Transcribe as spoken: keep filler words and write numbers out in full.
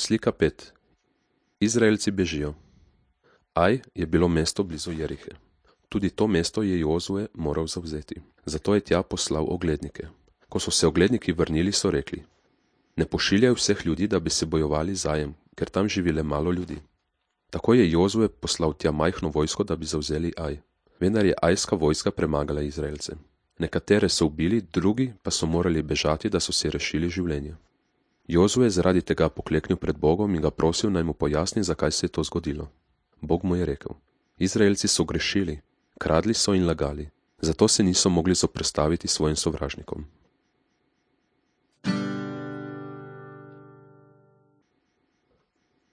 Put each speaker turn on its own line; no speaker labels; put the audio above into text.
Slika pet. Izraelci bežijo. Aj je bilo mesto blizu Jerihe. Tudi to mesto je Jozue moral zavzeti. Zato je tja poslal oglednike. Ko so se ogledniki vrnili, so rekli: Ne pošiljaj vseh ljudi, da bi se bojevali z Ajem, ker tam živi le malo ljudi. Tako je Jozue poslal tja majhno vojsko, da bi zavzeli Aj. Vendar je ajska vojska premagala Izraelce. Nekatere so ubili, drugi pa so morali bežati, da so si rešili življenje. Jozue je zaradi tega pokleknil pred Bogom in ga prosil, naj mu pojasni, zakaj se je to zgodilo. Bog mu je rekel: Izraelci so grešili, kradli so in lagali, zato se niso mogli zoperstaviti svojim sovražnikom.